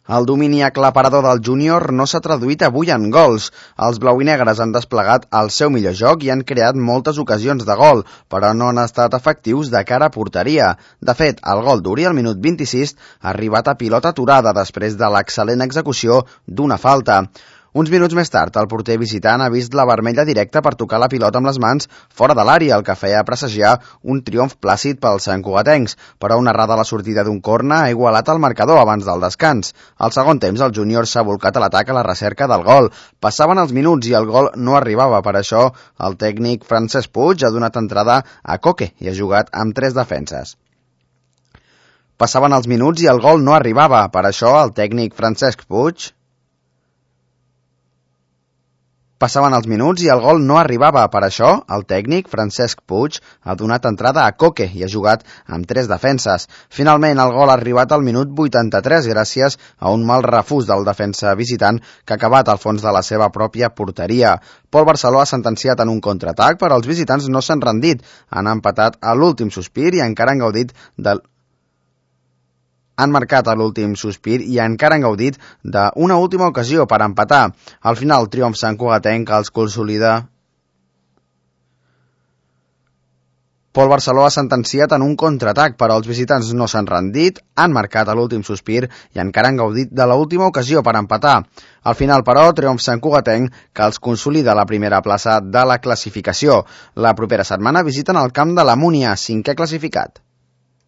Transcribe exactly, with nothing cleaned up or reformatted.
El domini aclaparador del júnior no s'ha traduït avui en gols. Els blau i negres han desplegat el seu millor joc i han creat moltes ocasions de gol, però no han estat efectius de cara a porteria. De fet, el gol d'Uri al minut vint-i-sis ha arribat a pilota aturada després de l'excel·lent execució d'una falta. Uns minuts més tard, el porter visitant ha vist la vermella directa per tocar la pilota amb les mans fora de l'àrea, el que feia presagiar un triomf plàcid pels santcugatencs, però una errada a la sortida d'un corna ha igualat el marcador abans del descans. Al segon temps, el júnior s'ha volcat a l'atac a la recerca del gol. Passaven els minuts i el gol no arribava, per això el tècnic Francesc Puig ha donat entrada a Coque i ha jugat amb tres defenses. Passaven els minuts i el gol no arribava, per això el tècnic Francesc Puig Passaven els minuts i el gol no arribava. Per això, el tècnic, Francesc Puig, ha donat entrada a Coque i ha jugat amb tres defenses. Finalment, el gol ha arribat al minut vuitanta-tres gràcies a un mal refús del defensa visitant que ha acabat al fons de la seva pròpia porteria. Pol Barceló ha sentenciat en un contraatac, però els visitants no s'han rendit. Han empatat a l'últim sospir i encara han gaudit del... han marcat a l'últim sospir i encara han gaudit d'una última ocasió per empatar. Al final, el triomf santcugatenc els consolida. Pol Barceló ha sentenciat en un contraatac, però els visitants no s'han rendit, han marcat a l'últim sospir i encara han gaudit de l'última ocasió per empatar. Al final, però, triomf santcugatenc que els consolida la primera plaça de la classificació. La propera setmana visiten el camp de la Múnia, cinquè classificat.